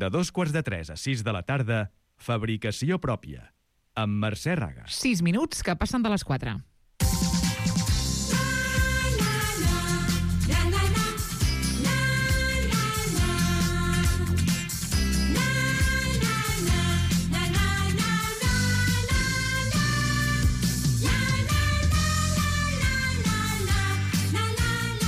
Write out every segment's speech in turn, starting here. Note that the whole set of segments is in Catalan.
De 2:45 a 6 de la tarda, Fabricació pròpia, amb Mercè Raga. 6 minuts que passen de les 4.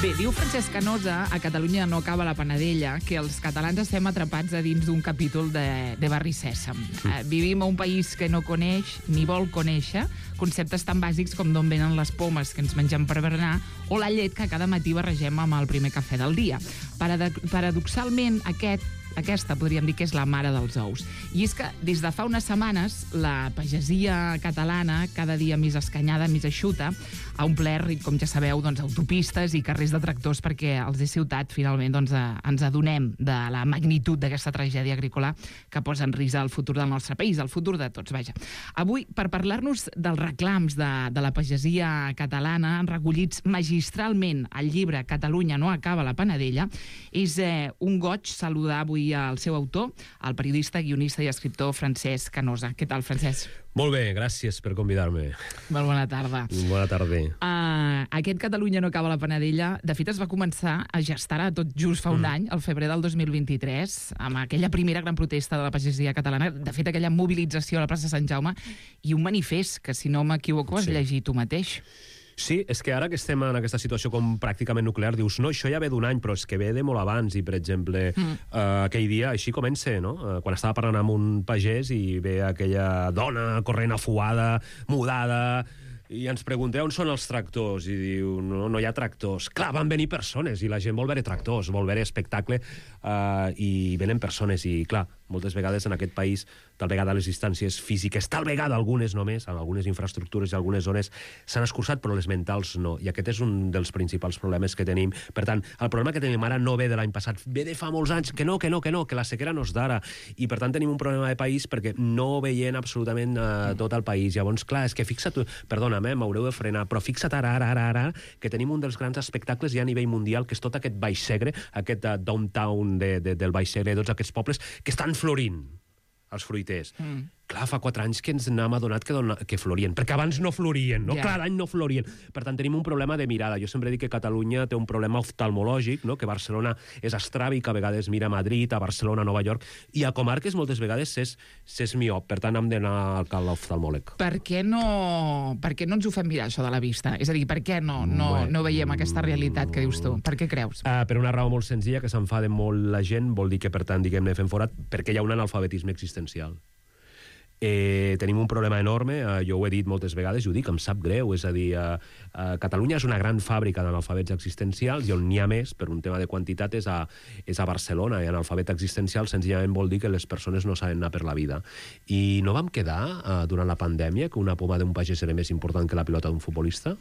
Bé, diu Francesc Canosa, a Catalunya no acaba la panadella, que els catalans estem atrapats a dins d'un capítol de Barri Sèsam. Vivim a un país que no coneix ni vol conèixer conceptes tan bàsics com d'on venen les pomes que ens mengem per berenar o la llet que cada matí barregem amb el primer cafè del dia. Paradoxalment, aquesta podríem dir que és la mare dels ous. I és que des de fa unes setmanes la pagesia catalana, cada dia més escanyada, més eixuta, ha omplert, com ja sabeu, autopistes i carrers de tractors perquè els de ciutat finalment ens adonem de la magnitud d'aquesta tragèdia agrícola que posa en risc el futur del nostre país, el futur de tots, vaja. Avui, per parlar-nos dels reclams de la pagesia catalana, recollits magistralment al llibre Catalunya no acaba la panadella, és un goig saludar avui al seu autor, el periodista, guionista i escriptor Francesc Canosa. Què tal, Francesc? Molt bé, gràcies per convidar-me. Molt bona tarda. Bona tarda. Aquest Catalunya no acaba la panadella, de fet es va començar a gestar tot just fa un any, al febrer del 2023, amb aquella primera gran protesta de la pagesia catalana, de fet aquella mobilització a la plaça Sant Jaume, i un manifest que, si no m'equivoco, has llegit tu mateix. Sí, és que ara que estem en aquesta situació com pràcticament nuclear, dius, no, això ja ve d'un any, però és que ve de molt abans, i per exemple, aquell dia, així comença, no? Quan estava parlant amb un pagès i ve aquella dona corrent afuada, mudada, i ens pregunta on són els tractors, i diu, no hi ha tractors. Clar, van venir persones, i la gent vol veure tractors, vol veure espectacle, i venen persones, i clar, moltes vegades en aquest país, tal vegada les distàncies físiques, tal vegada algunes només, en algunes infraestructures i algunes zones s'han escurçat, però les mentals no, i aquest és un dels principals problemes que tenim. Per tant, el problema que tenim ara no ve de l'any passat, ve de fa molts anys, que la sequera no és d'ara, i per tant tenim un problema de país perquè no veiem absolutament tot el país. Llavors, clar, és que fixa't, perdona'm, m'haureu de frenar, però fixa't ara, que tenim un dels grans espectacles ja a nivell mundial, que és tot aquest Baix Segre, aquest downtown del Baix Segre, tots aquests pobles que estan florint, els fruiters. Clar, fa 4 anys que ens n'hem adonat que florien, perquè abans no florien, no? Clar, l'any no florien. Per tant, tenim un problema de mirada. Jo sempre dic que Catalunya té un problema oftalmològic, no? Que Barcelona és estràbic, a vegades mira a Madrid, a Barcelona, a Nova York, i a comarques moltes vegades s'és miop. Per tant, hem d'anar a l'oftalmòleg. Per què no ens ho fem mirar, això de la vista? És a dir, per què no veiem aquesta realitat que dius tu? Per què creus? Per una raó molt senzilla, que s'enfada molt la gent, vol dir que, per tant, diguem-ne, fem forat, perquè hi ha un analfabetisme existencial. Tenim un problema enorme, jo ho he dit moltes vegades i ho dic, em sap greu, és a dir, Catalunya és una gran fàbrica d'analfabets existencials i on n'hi ha més, per un tema de quantitat, és a Barcelona, i analfabet existencial senzillament vol dir que les persones no saben anar per la vida. I no vam quedar, durant la pandèmia, que una poma d'un pagès era més important que la pilota d'un futbolista?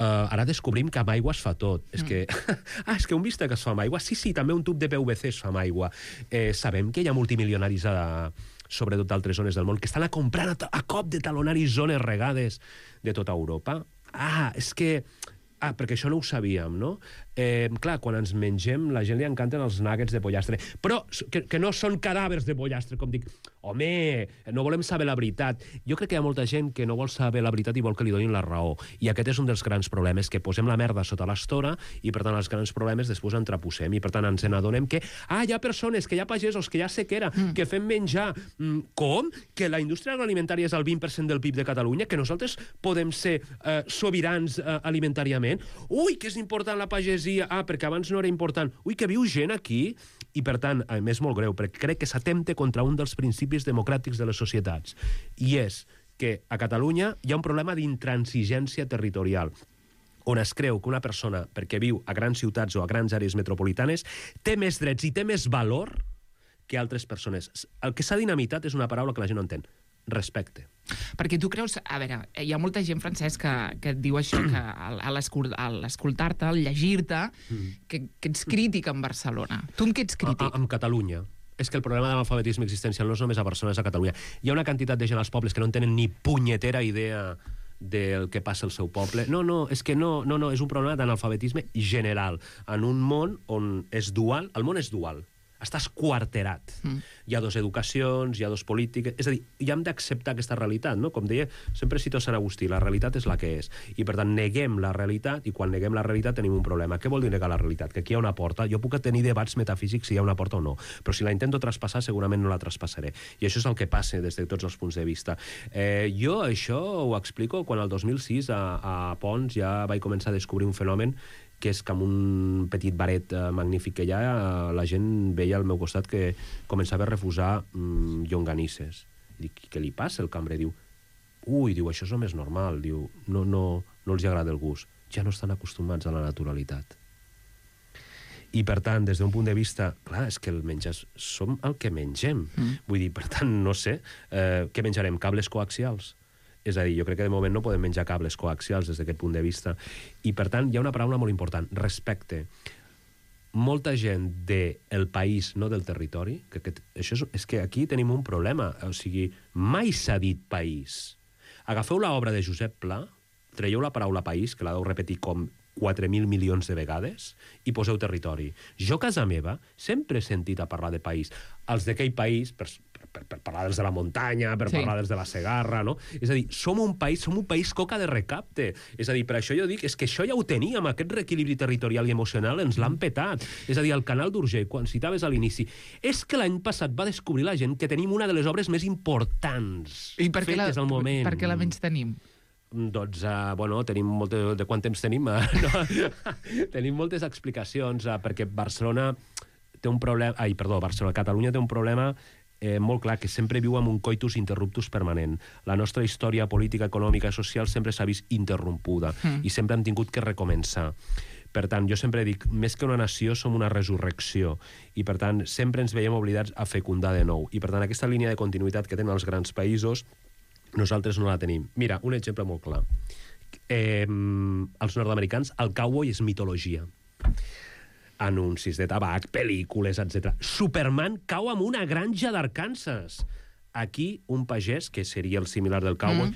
Ara descobrim que amb aigua es fa tot. És que un bistec es fa amb aigua? Sí, també un tub de PVC es fa amb aigua. Sabem que hi ha multimilionaris sobretot d'altres zones del món, que estan comprant a cop de talonaris zones regades de tota Europa. Perquè això no ho sabíem, no? Clar, quan ens mengem, la gent li encanten els nuggets de pollastre, però que no són cadàvers de pollastre, com dic. Home, no volem saber la veritat. Jo crec que hi ha molta gent que no vol saber la veritat i vol que li donin la raó. I aquest és un dels grans problemes, que posem la merda sota l'estora i, per tant, els grans problemes després entreposem. I, per tant, ens n'adonem que hi ha persones, que hi ha pagesos, que hi ha sequera, que fem menjar. Com? Que la indústria agroalimentària és el 20% del PIB de Catalunya? Que nosaltres podem ser sobirans alimentàriament? Ui, que és important la pagesia, perquè abans no era important. Ui, que viu gent aquí. I, per tant, a més, molt greu, perquè crec que s'atempta contra un dels principis democràtics de les societats. I és que a Catalunya hi ha un problema d'intransigència territorial, on es creu que una persona, perquè viu a grans ciutats o a grans àrees metropolitanes, té més drets i té més valor que altres persones. El que s'ha dinamitat és una paraula que la gent no entén. Respecte. Perquè tu creus... A veure, hi ha molta gent, Francesc, que et diu això, que a l'escoltar-te, al llegir-te, que ets crític amb Barcelona. Tu amb què ets crític? Amb Catalunya. És que el problema de l'alfabetisme existencial no és només a Barcelona, és a Catalunya. Hi ha una quantitat de gent als pobles que no tenen ni punyetera idea del que passa al seu poble. No, és que no, és un problema d'analfabetisme general. En un món on és dual, el món és dual. Està esquarterat. Hi ha dos educacions, hi ha dos polítiques... És a dir, ja hem d'acceptar aquesta realitat, no? Com deia, sempre cito Sant Agustí, la realitat és la que és. I, per tant, neguem la realitat, i quan neguem la realitat tenim un problema. Què vol dir negar la realitat? Que aquí hi ha una porta. Jo puc tenir debats metafísics si hi ha una porta o no, però si la intento traspassar, segurament no la traspassaré. I això és el que passa des de tots els punts de vista. Jo això ho explico quan el 2006 a Pons ja vaig començar a descobrir un fenomen que és que amb un petit baret magnífic que hi ha, la gent veia al meu costat que començava a refusar llonganisses. Dic, què li passa? El cambrer diu, diu, això és el més normal, diu, no els agrada el gust, ja no estan acostumats a la naturalitat. I, per tant, des d'un punt de vista... Clar, és que el menjar som el que mengem. Vull dir, per tant, no sé, què menjarem? Cables coaxials? És a dir, jo crec que de moment no podem menjar cables coaxials des d'aquest punt de vista. I, per tant, hi ha una paraula molt important, respecte. Molta gent del país, no del territori, és que aquí tenim un problema. O sigui, mai s'ha dit país. Agafeu l'obra de Josep Pla, traieu la paraula país, que la deu repetir com 4.000 milions de vegades, i poseu territori. Jo, a casa meva, sempre he sentit a parlar de país. Els d'aquell país, per parlar dels de la muntanya, per parlar dels de la Segarra, no? És a dir, som un país coca de recapte. És a dir, per això jo dic, és que això ja ho teníem, aquest reequilibri territorial i emocional ens l'han petat. És a dir, el canal d'Urgell, quan citaves a l'inici, és que l'any passat va descobrir la gent que tenim una de les obres més importants fetes al moment. Per què la menys tenim? Doncs, tenim de quant temps tenim? Tenim moltes explicacions, perquè Barcelona té un problema... Catalunya té un problema molt clar, que sempre viu amb un coitus interruptus permanent. La nostra història política, econòmica i social sempre s'ha vist interrompuda i sempre hem tingut que recomençar. Per tant, jo sempre dic, més que una nació, som una resurrecció. I, per tant, sempre ens veiem obligats a fecundar de nou. I, per tant, aquesta línia de continuïtat que tenen els grans països, nosaltres no la tenim. Mira, un exemple molt clar. Els nord-americans, el cowboy és mitologia. Anuncis de tabac, pel·lícules, etc. Superman cau amb una granja d'Arkansas. Aquí, un pagès, que seria el similar del cowboy,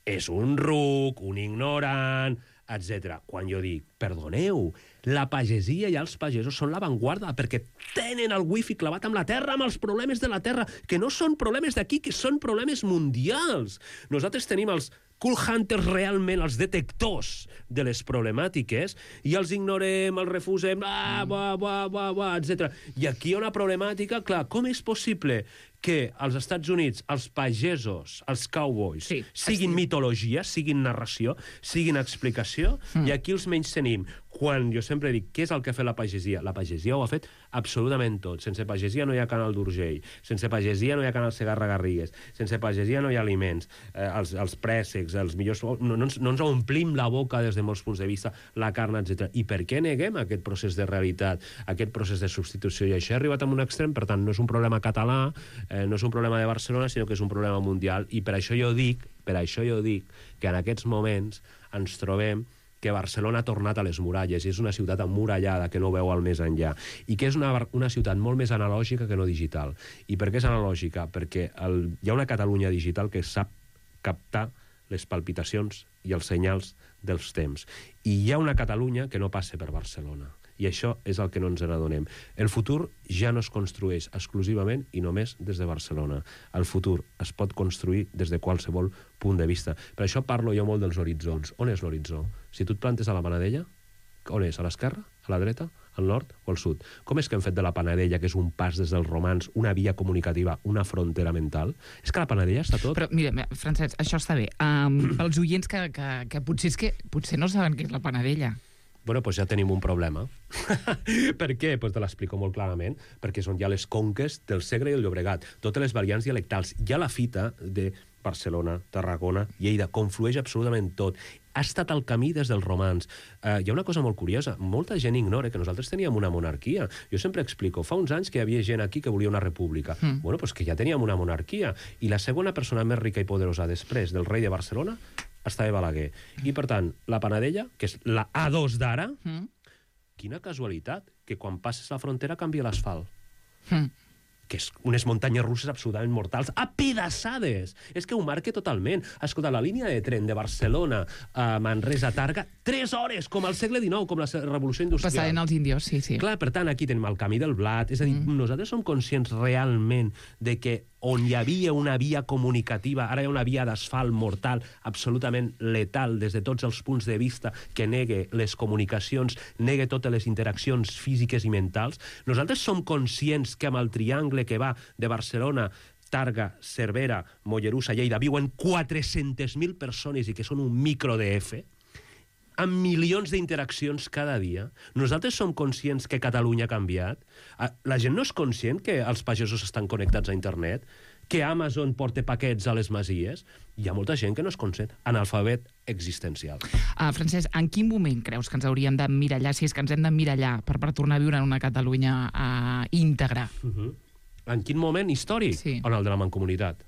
és un ruc, un ignorant, etc. Quan jo dic, perdoneu, la pagesia i els pagesos són l'avantguarda perquè tenen el wifi clavat amb la terra, amb els problemes de la terra, que no són problemes d'aquí, que són problemes mundials. Nosaltres tenim els cool hunters realment, els detectors de les problemàtiques, i els ignorem, els refusem, etc. I aquí hi ha una problemàtica, clar, com és possible que als Estats Units els pagesos, els cowboys, siguin mitologia, siguin narració, siguin explicació, i aquí els menys tenim. Quan jo sempre dic, què és el que ha fet la pagesia? La pagesia ho ha fet absolutament tot. Sense pagesia no hi ha canal d'Urgell, sense pagesia no hi ha canal Segarra-Garrigues, sense pagesia no hi ha aliments, els préssecs, els millors... No ens omplim la boca des de molts punts de vista, la carn, etc. I per què neguem aquest procés de realitat, aquest procés de substitució? I això ha arribat a un extrem, per tant, no és un problema català, no és un problema de Barcelona, sinó que és un problema mundial. I per això jo dic que en aquests moments ens trobem que Barcelona ha tornat a les muralles i és una ciutat emmurallada que no veu al més enllà i que és una ciutat molt més analògica que no digital. I per què és analògica? Perquè hi ha una Catalunya digital que sap captar les palpitacions i els senyals dels temps. I hi ha una Catalunya que no passa per Barcelona. I això és el que no ens n'adonem. El futur ja no es construeix exclusivament i només des de Barcelona. El futur es pot construir des de qualsevol punt de vista. Per això parlo jo molt dels horitzons. On és l'horitzó? Si tu et plantes a la Panadella, on és? A l'esquerra? A la dreta? Al nord o al sud? Com és que hem fet de la Panadella, que és un pas des dels romans, una via comunicativa, una frontera mental? És que la Panadella està tot. Però mira, Francesc, això està bé. Pels oients que potser no saben què és la Panadella. Bueno, doncs ja tenim un problema. Per què? Doncs te l'explico molt clarament. Perquè són ja les conques del Segre i el Llobregat. Totes les variants dialectals. Ja la fita de Barcelona, Tarragona, Lleida, conflueix absolutament tot. Ha estat el camí des dels romans. Hi ha una cosa molt curiosa. Molta gent ignora que nosaltres teníem una monarquia. Jo sempre explico, fa uns anys que hi havia gent aquí que volia una república. Bueno, doncs que ja teníem una monarquia. I la segona persona més rica i poderosa després del rei de Barcelona estava Balaguer. I, per tant, la Panadella, que és la A2 d'ara, quina casualitat, que quan passes la frontera canvia l'asfalt. que és unes muntanyes russes absolutament mortals, apedaçades. És que ho marca totalment. Escolta, la línia de tren de Barcelona a Manresa a Targa, 3 hores, com al segle XIX, com la revolució industrial. Passaven els índios, sí. Clar, per tant, aquí tenim el camí del blat. És a dir, nosaltres som conscients realment de que on hi havia una via comunicativa, ara hi ha una via d'asfalt mortal, absolutament letal des de tots els punts de vista, que negue les comunicacions, negue totes les interaccions físiques i mentals. Nosaltres som conscients que amb el triangle que va de Barcelona, Targa, Cervera, Mollerussa, Lleida, viuen 400.000 persones i que són un micro DF, amb milions d'interaccions cada dia. Nosaltres som conscients que Catalunya ha canviat. La gent no és conscient que els pagesos estan connectats a internet, que Amazon porta paquets a les masies. Hi ha molta gent que no és conscient. Analfabet existencial. Francesc, en quin moment creus que ens hauríem d'emmirallar, si és que ens hem d'emmirallar, per tornar a viure en una Catalunya íntegra? En quin moment històric? Sí. En el de la Mancomunitat.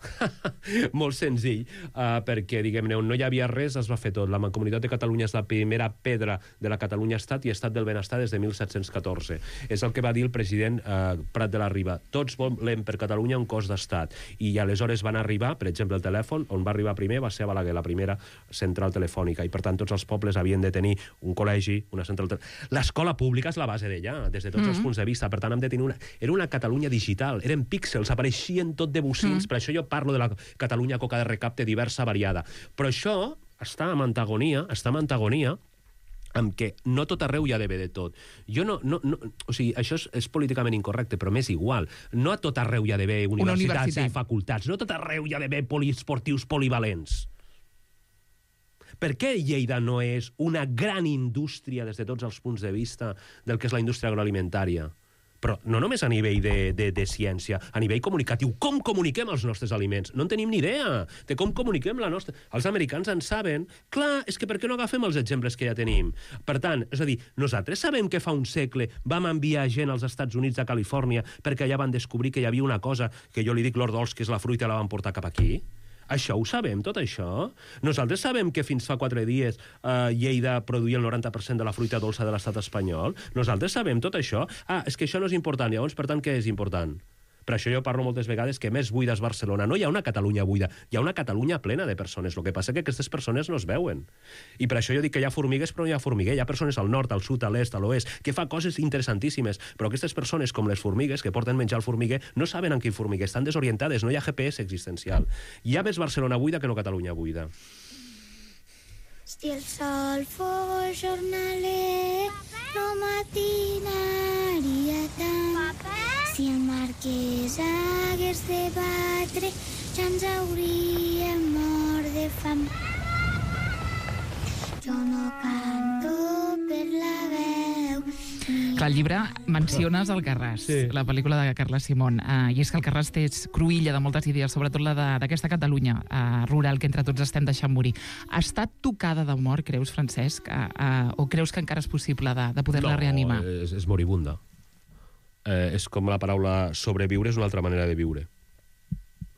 Molt senzill, perquè, diguem-ne, on no hi havia res es va fer tot. La Mancomunitat de Catalunya és la primera pedra de la Catalunya Estat i Estat del Benestar des de 1714. És el que va dir el president Prat de la Riba. Tots volem per Catalunya un cos d'estat. I aleshores van arribar, per exemple, el telèfon, on va arribar primer va ser a Balaguer, la primera central telefònica. I, per tant, tots els pobles havien de tenir un col·legi, una central... L'escola pública és la base d'allà, des de tots els punts de vista. Per tant, hem de tenir Era una Catalunya digital, eren píxels, apareixien tot de bocins, per això jo parlo de la Catalunya coca de recapte diversa, variada. Però això està en antagonia amb que no tot arreu hi ha d'haver de tot. O sigui, això és políticament incorrecte, però m'és igual. No a tot arreu hi ha d'haver universitats i facultats. No a tot arreu hi ha d'haver poliesportius polivalents. Per què Lleida no és una gran indústria des de tots els punts de vista del que és la indústria agroalimentària? Però no només a nivell de ciència, a nivell comunicatiu. Com comuniquem els nostres aliments? No en tenim ni idea de com comuniquem la nostra... Els americans en saben. Clar, és que per què no agafem els exemples que ja tenim? Per tant, és a dir, nosaltres sabem que fa un segle vam enviar gent als Estats Units, a Califòrnia, perquè allà van descobrir que hi havia una cosa que jo li dic Lord Dolls, que és la fruita, la van portar cap aquí. Això ho sabem, tot això? Nosaltres sabem que fins fa 4 dies Lleida produïa el 90% de la fruita dolça de l'estat espanyol? Nosaltres sabem tot això? És que això no és important. Llavors, per tant, què és important? Per això jo parlo moltes vegades que més buida és Barcelona. No hi ha una Catalunya buida, hi ha una Catalunya plena de persones. El que passa és que aquestes persones no es veuen. I per això jo dic que hi ha formigues, però no hi ha formiguer. Hi ha persones al nord, al sud, a l'est, a l'oest, que fa coses interessantíssimes. Però aquestes persones, com les formigues, que porten menjar al formiguer, no saben en quin formiguer. Estan desorientades, no hi ha GPS existencial. Hi ha més Barcelona buida que no Catalunya buida. Si el sol fos jornaler, no matinaria tant. Si el marquès hagués de batre, ja ens hauríem mort de fam. Jo no canto per la veu. Clar, al llibre menciones Alcarràs, la pel·lícula de Carla Simón, i és que Alcarràs és cruïlla de moltes idees, sobretot la d'aquesta Catalunya rural que entre tots estem deixant morir. Ha estat tocada de mort, creus, Francesc? O creus que encara és possible de poder-la reanimar? No, és moribunda. És com la paraula sobreviure és una altra manera de viure.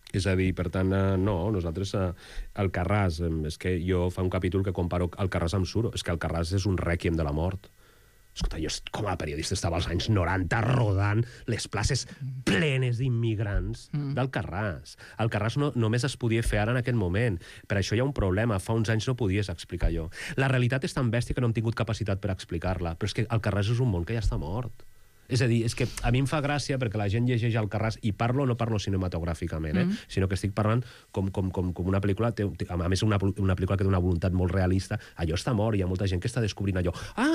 És a dir, per tant, no, nosaltres Alcarràs, és que jo fa un capítol que comparo Alcarràs amb Suro, és que Alcarràs és un rèquiem de la mort. Escolta, jo com a periodista estava als anys 90 rodant les places plenes d'immigrants d'Alcarràs. Alcarràs només es podia fer ara en aquest moment. Per això hi ha un problema. Fa uns anys no podies explicar allò. La realitat és tan bèstia que no hem tingut capacitat per explicar-la. Però és que Alcarràs és un món que ja està mort. És a dir, és que a mi em fa gràcia perquè la gent llegeix Alcarràs i no parlo cinematogràficament, sinó que estic parlant com una pel·lícula, a més una pel·lícula que té una voluntat molt realista. Allò està mort, hi ha molta gent que està descobrint allò.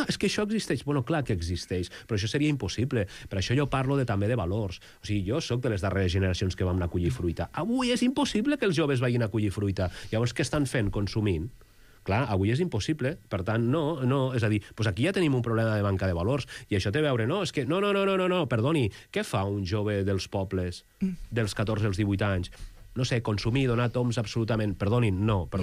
És que això existeix. Bueno, clar que existeix, però això seria impossible. Per això jo parlo també de valors. O sigui, jo sóc de les darreres generacions que vam anar a collir fruita. Avui és impossible que els joves vagin a collir fruita. Llavors, què estan fent? Consumint. Clar, avui és impossible, per tant, no, és a dir, doncs aquí ja tenim un problema de manca de valors, i això té a veure, és que, no, perdoni, què fa un jove dels pobles, dels 14 als 18 anys? No sé, consumir, donar toms absolutament, perdonin, no va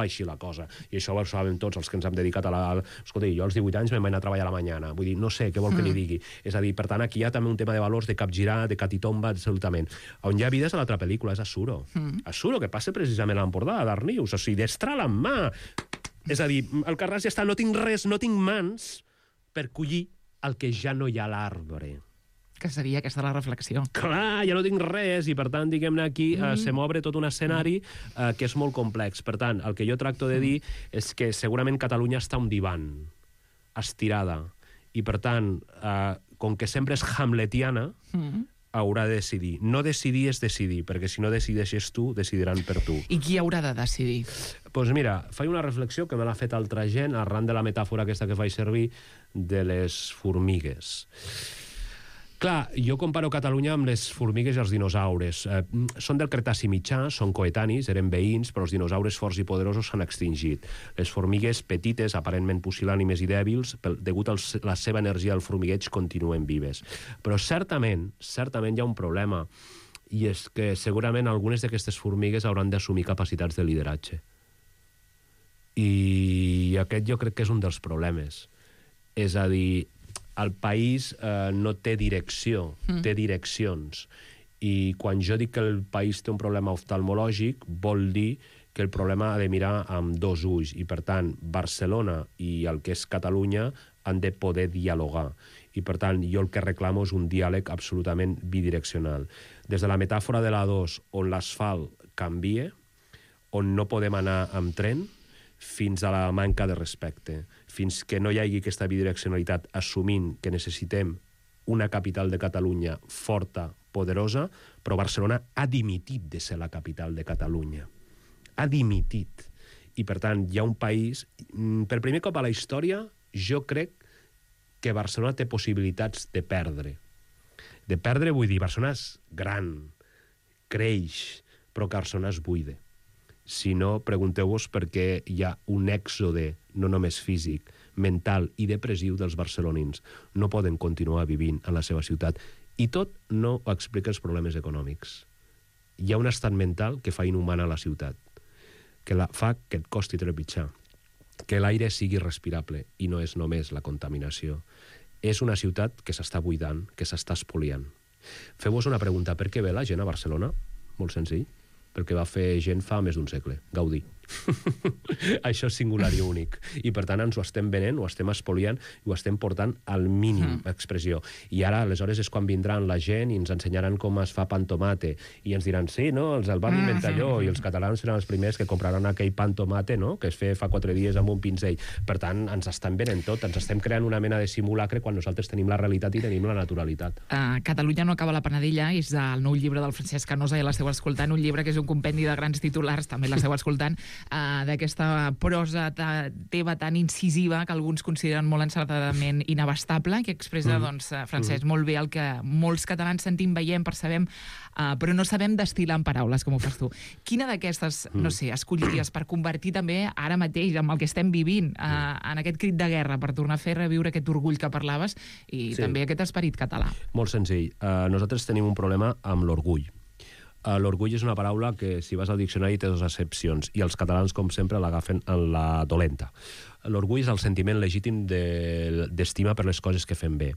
així la cosa, i això ho sabem tots els que ens hem dedicat escolta, jo als 18 anys me'n vaig anar a treballar a la mañana, vull dir, no sé, què vol que li digui, és a dir, per tant, aquí hi ha també un tema de valors, de capgirar, de catitomba, absolutament. On hi ha vida és a l'altra pel·lícula, és a Suro, que passa precisament a l'Empordà, a Darnius, o sigui, destral en mà, és a dir, Alcarràs ja està, no tinc res, no tinc mans per collir el que ja no hi ha a l'arbre. que seria aquesta la reflexió. Clar, ja no tinc res, i per tant, diguem-ne, aquí se m'obre tot un escenari que és molt complex. Per tant, el que jo tracto de dir és que segurament Catalunya està un divan, estirada, i per tant, com que sempre és hamletiana, haurà de decidir. No decidir és decidir, perquè si no decideixes tu, decidiran per tu. I qui haurà de decidir? Doncs mira, faig una reflexió que me l'ha fet altra gent arran de la metàfora aquesta que faig servir de les formigues. Clar, jo comparo Catalunya amb les formigues i els dinosaures. Són del Cretaci mitjà, són coetanis, eren veïns, però els dinosaures forts i poderosos s'han extingit. Les formigues petites, aparentment pusil·lànimes i dèbils, degut a la seva energia al formigueig, continuen vives. Però certament hi ha un problema, i és que segurament algunes d'aquestes formigues hauran d'assumir capacitats de lideratge. I aquest jo crec que és un dels problemes. És a dir, el país no té direcció, té direccions. I quan jo dic que el país té un problema oftalmològic, vol dir que el problema ha de mirar amb dos ulls. I, per tant, Barcelona i el que és Catalunya han de poder dialogar. I, per tant, jo el que reclamo és un diàleg absolutament bidireccional. Des de la metàfora de l'A2, on l'asfalt canvia, on no podem anar amb tren, fins a la manca de respecte, fins que no hi hagi aquesta bidireccionalitat assumint que necessitem una capital de Catalunya forta, poderosa, però Barcelona ha dimitit de ser la capital de Catalunya. Ha dimitit. I, per tant, hi ha un país... Per primer cop a la història, jo crec que Barcelona té possibilitats de perdre. De perdre vull dir, Barcelona és gran, creix, però que Barcelona es buida. Si no, pregunteu-vos per què hi ha un èxode, no només físic, mental i depressiu dels barcelonins. No poden continuar vivint en la seva ciutat. I tot no explica els problemes econòmics. Hi ha un estat mental que fa inhumana la ciutat, que fa que et costi trepitjar, que l'aire sigui respirable, i no és només la contaminació. És una ciutat que s'està buidant, que s'està espoliant. Feu-vos una pregunta, per què ve la gent a Barcelona? Molt senzill. Perquè va fer gent fa més d'un segle, Gaudí. Això és singular i únic. I, per tant, ens ho estem venent, ho estem espoliant i ho estem portant al mínim expressió. I ara, aleshores, és quan vindran la gent i ens ensenyaran com es fa pan tomate. I ens diran, sí, no, els del van inventar allò, i els catalans seran els primers que compraran aquell pan tomate, no?, que es feia fa 4 dies amb un pinzell. Per tant, ens estan venent tot, ens estem creant una mena de simulacre quan nosaltres tenim la realitat i tenim la naturalitat. Catalunya no acaba la panadella és el nou llibre del Francesc Canosa, i l'esteu escoltant, un llibre que és un compendi de grans titulars, també l'esteu escoltant, d'aquesta prosa teva tan incisiva que alguns consideren molt encertadament inabastable, que expressa, doncs, Francesc, molt bé el que molts catalans sentim, veiem, percebem, però no sabem destil·lar en paraules, com ho fas tu. Quina d'aquestes, no sé, escolliries per convertir també ara mateix, amb el que estem vivint, en aquest crit de guerra, per tornar a fer reviure aquest orgull que parlaves i també aquest esperit català? Molt senzill. Nosaltres tenim un problema amb l'orgull. L'orgull és una paraula que, si vas al diccionari, té 2 accepcions, i els catalans, com sempre, l'agafen en la dolenta. L'orgull és el sentiment legítim d'estima per les coses que fem bé.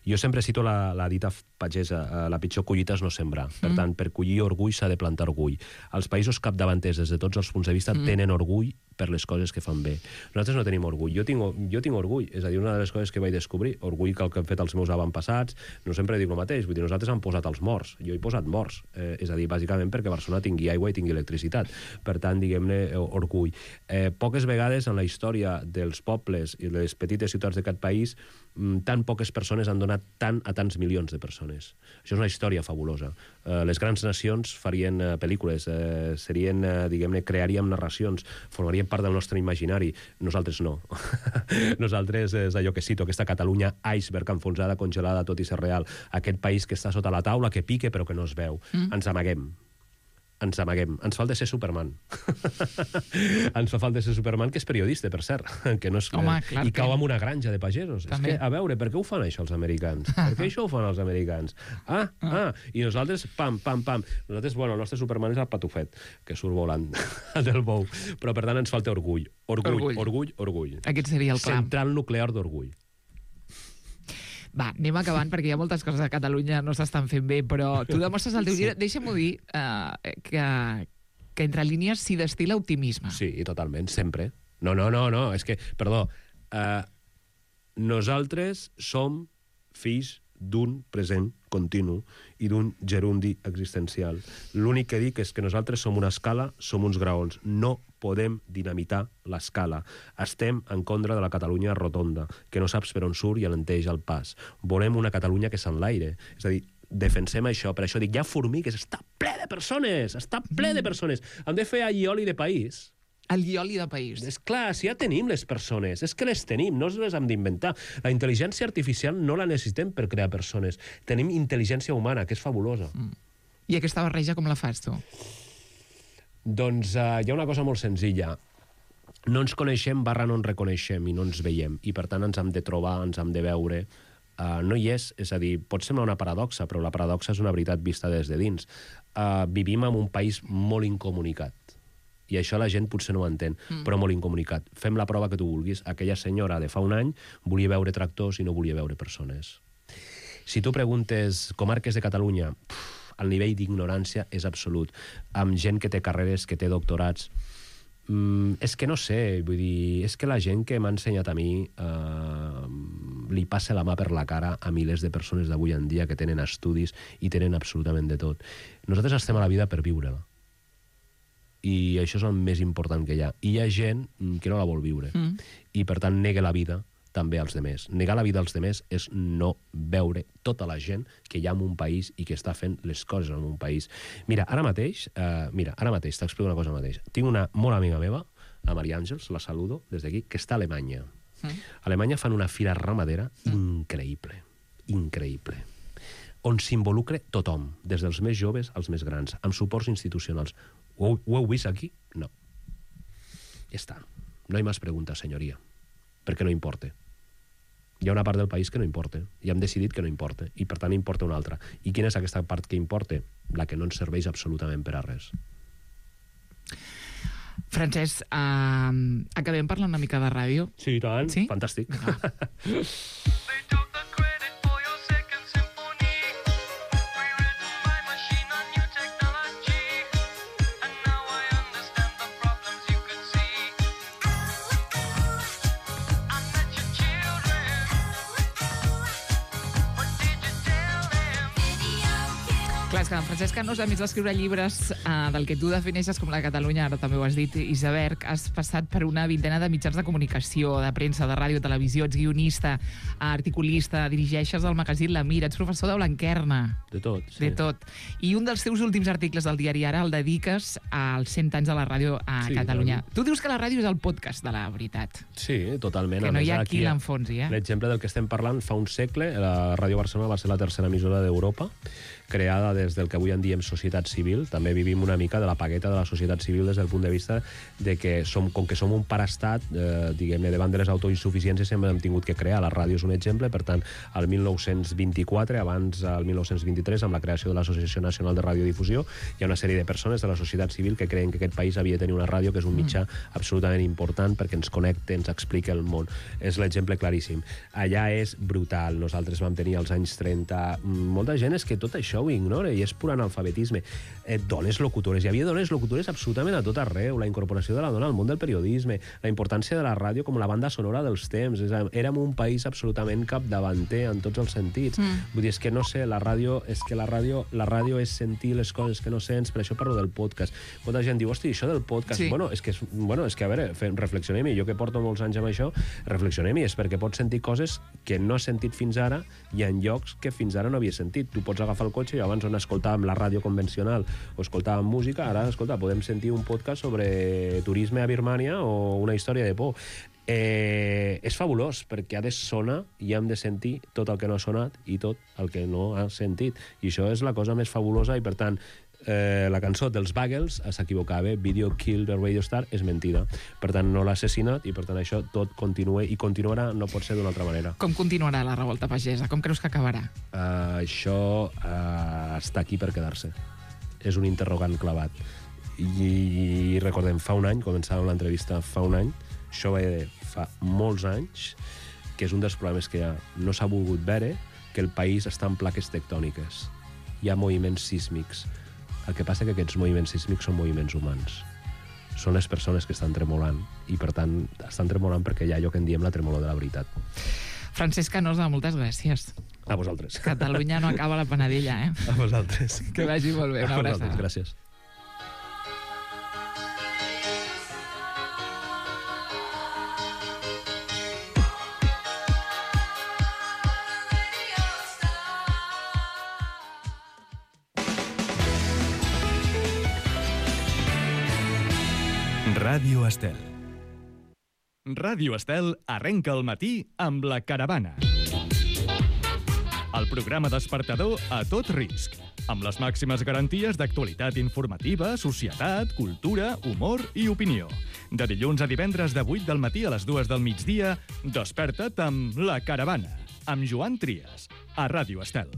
Jo sempre cito la dita pagesa, la pitjor collita és no sembrar. Per tant, per collir orgull s'ha de plantar orgull. Els països capdavanters, des de tots els punts de vista, tenen orgull per les coses que fan bé. Nosaltres no tenim orgull. Jo tinc orgull. És a dir, una de les coses que vaig descobrir, orgull que el que han fet els meus avantpassats, no sempre dic el mateix. Vull dir, nosaltres han posat els morts. Jo he posat morts. És a dir, bàsicament perquè Barcelona tingui aigua i tingui electricitat. Per tant, diguem-ne, orgull. Poques vegades en la història dels pobles i les petites ciutats d'aquest país, tan poques persones han donat tant a tants milions de persones. Això és una història fabulosa. Les grans nacions farien pel·lícules, serien, diguem-ne, crearíem narracions, formarien part del nostre imaginari. Nosaltres no. Nosaltres és allò que cito, aquesta Catalunya iceberg, enfonsada, congelada, tot i ser real. Aquest país que està sota la taula, que pique però que no es veu. Ens amaguem. Ens amaguem. Ens falta ser Superman. Ens fa falta ser Superman, que és periodista, per cert. Que no és... Home, i cau en una granja de pagesos. També. És que, a veure, per què ho fan això els americans? Per què això ho fan els americans? I nosaltres, pam, pam, pam. Nosaltres, bueno, el nostre Superman és el patufet, que surt volant del bou. Però, per tant, ens falta orgull. Orgull. Aquest seria el clam. Central nuclear d'orgull. Va, anem acabant, perquè hi ha moltes coses a Catalunya no s'estan fent bé, però tu demostres al teu llibre... Deixa'm-ho dir, que entre línies s'hi destil·la optimisme. Sí, totalment, sempre. No, és que, perdó, nosaltres som fills d'un present continu i d'un gerundi existencial. L'únic que dic és que nosaltres som una escala, som uns graons. No podem dinamitar l'escala. Estem en contra de la Catalunya rotonda, que no saps per on surt i alenteix el pas. Volem una Catalunya que s'enlaire. És a dir, defensem això. Per això dic, hi ha formigues, està ple de persones, està ple de persones. Hem de fer allioli de país. El guioli de país. És clar, si ja tenim les persones, és que les tenim, no les hem d'inventar. La intel·ligència artificial no la necessitem per crear persones. Tenim intel·ligència humana, que és fabulosa. I aquesta barreja com la fas, tu? Doncs hi ha una cosa molt senzilla. No ens coneixem / no ens reconeixem i no ens veiem. I per tant ens hem de trobar, ens hem de veure. No hi és a dir, pot semblar una paradoxa, però la paradoxa és una veritat vista des de dins. Vivim en un país molt incomunicat. I això la gent potser no ho entén, però molt incomunicat. Fem la prova que tu vulguis. Aquella senyora de fa un any volia veure tractors i no volia veure persones. Si tu preguntes comarques de Catalunya, el nivell d'ignorància és absolut. Amb gent que té carreres, que té doctorats. És que no sé, vull dir, és que la gent que m'ha ensenyat a mi li passa la mà per la cara a milers de persones d'avui en dia que tenen estudis i tenen absolutament de tot. Nosaltres estem a la vida per viure-la. I això és el més important que hi ha. I hi ha gent que no la vol viure. I, per tant, nega la vida també als demés. Negar la vida als demés és no veure tota la gent que hi ha en un país i que està fent les coses en un país. Mira, ara mateix t'explico una cosa mateix. Tinc una molt amiga meva, la Maria Àngels, la saludo des d'aquí, que està a Alemanya. A Alemanya fan una fira ramadera increïble, increïble, on s'involucra tothom, des dels més joves als més grans, amb suports institucionals. Ho heu vist aquí? No. Ja està. No hay más preguntas, senyoria. Perquè no importa. Hi ha una part del país que no importa. I hem decidit que no importa. I, per tant, importa una altra. I quina és aquesta part que importa? La que no ens serveix absolutament per a res. Francesc, acabem parlant una mica de ràdio? Sí, i tant. Sí? Fantàstic. Clar, és que en Francesc Canós, a més d'escriure llibres del que tu defineixes com la Catalunya, ara també ho has dit, Iseberg, has passat per una vintena de mitjans de comunicació, de premsa, de ràdio, televisió, ets guionista, articulista, dirigeixes el magazín La Mira, ets professor de Blanquerna. De tot, sí. De tot. I un dels teus últims articles del diari Ara el dediques als 100 anys de la ràdio a Catalunya. Clar. Tu dius que la ràdio és el podcast de la veritat. Sí, totalment. Que no hi ha qui l'enfonsi, eh? L'exemple del que estem parlant fa un segle, la Ràdio Barcelona va ser la tercera emissora d'Europa, creada des del que avui en diem societat civil. També vivim una mica de la pagueta de la societat civil des del punt de vista de que com que som un paraestat, diguem-ne, davant de les autoinsuficiències sempre hem tingut que crear. La ràdio és un exemple, per tant, el 1924, abans el 1923, amb la creació de l'Associació Nacional de Radiodifusió, hi ha una sèrie de persones de la societat civil que creien que aquest país havia de tenir una ràdio, que és un mitjà absolutament important perquè ens connecta, ens explica el món. És l'exemple claríssim. Allà és brutal. Nosaltres vam tenir als anys 30... Molta gent és que tot això ho ignora i és pur analfabetisme. Dones locutores. Hi havia dones locutores absolutament a tot arreu. La incorporació de la dona al món del periodisme, la importància de la ràdio com la banda sonora dels temps. Érem un país absolutament capdavanter en tots els sentits. Vull dir, és que no sé, la ràdio és sentir les coses que no sents, per això parlo del podcast. Molta gent diu, hosti, això del podcast... Sí. Bueno, és que a veure, reflexionem-hi. Jo que porto molts anys amb això, reflexionem-hi. És perquè pots sentir coses que no has sentit fins ara i en llocs que fins ara no havies sentit. Tu pots agafar el cotxe i abans on escoltàvem la ràdio convencional o escoltàvem música, ara, escolta, podem sentir un podcast sobre turisme a Birmània o una història de por. És fabulós, perquè ha de sonar i hem de sentir tot el que no ha sonat i tot el que no ha sentit. I això és la cosa més fabulosa i, per tant, la cançó dels Buggles s'equivocava, Video Kill the Radio Star, és mentida. Per tant, no l'ha assassinat i, per tant, això tot continua i continuarà, no pot ser d'una altra manera. Com continuarà la revolta pagesa? Com creus que acabarà? Això està aquí per quedar-se. És un interrogant clavat. I recordem, fa un any, començàvem l'entrevista fa un any, això va de fa molts anys, que és un dels problemes que no s'ha volgut veure, que el país està en plaques tectòniques. Hi ha moviments sísmics. El que passa que aquests moviments sísmics són moviments humans. Són les persones que estan tremolant i, per tant, estan tremolant perquè hi ha allò que en diem la tremolor de la veritat. Francesc Canosa, moltes gràcies. A vosaltres. Catalunya no acaba la panadella, eh? A vosaltres. Que vagi molt bé, una A vosaltres, abraçada. gràcies. Ràdio Estel. Ràdio Estel arrenca el matí amb La Caravana. El programa despertador a tot risc, amb les màximes garanties d'actualitat informativa, societat, cultura, humor i opinió. De dilluns a divendres de 8 del matí a les 2 del migdia, desperta't amb La Caravana, amb Joan Trias, a Ràdio Estel.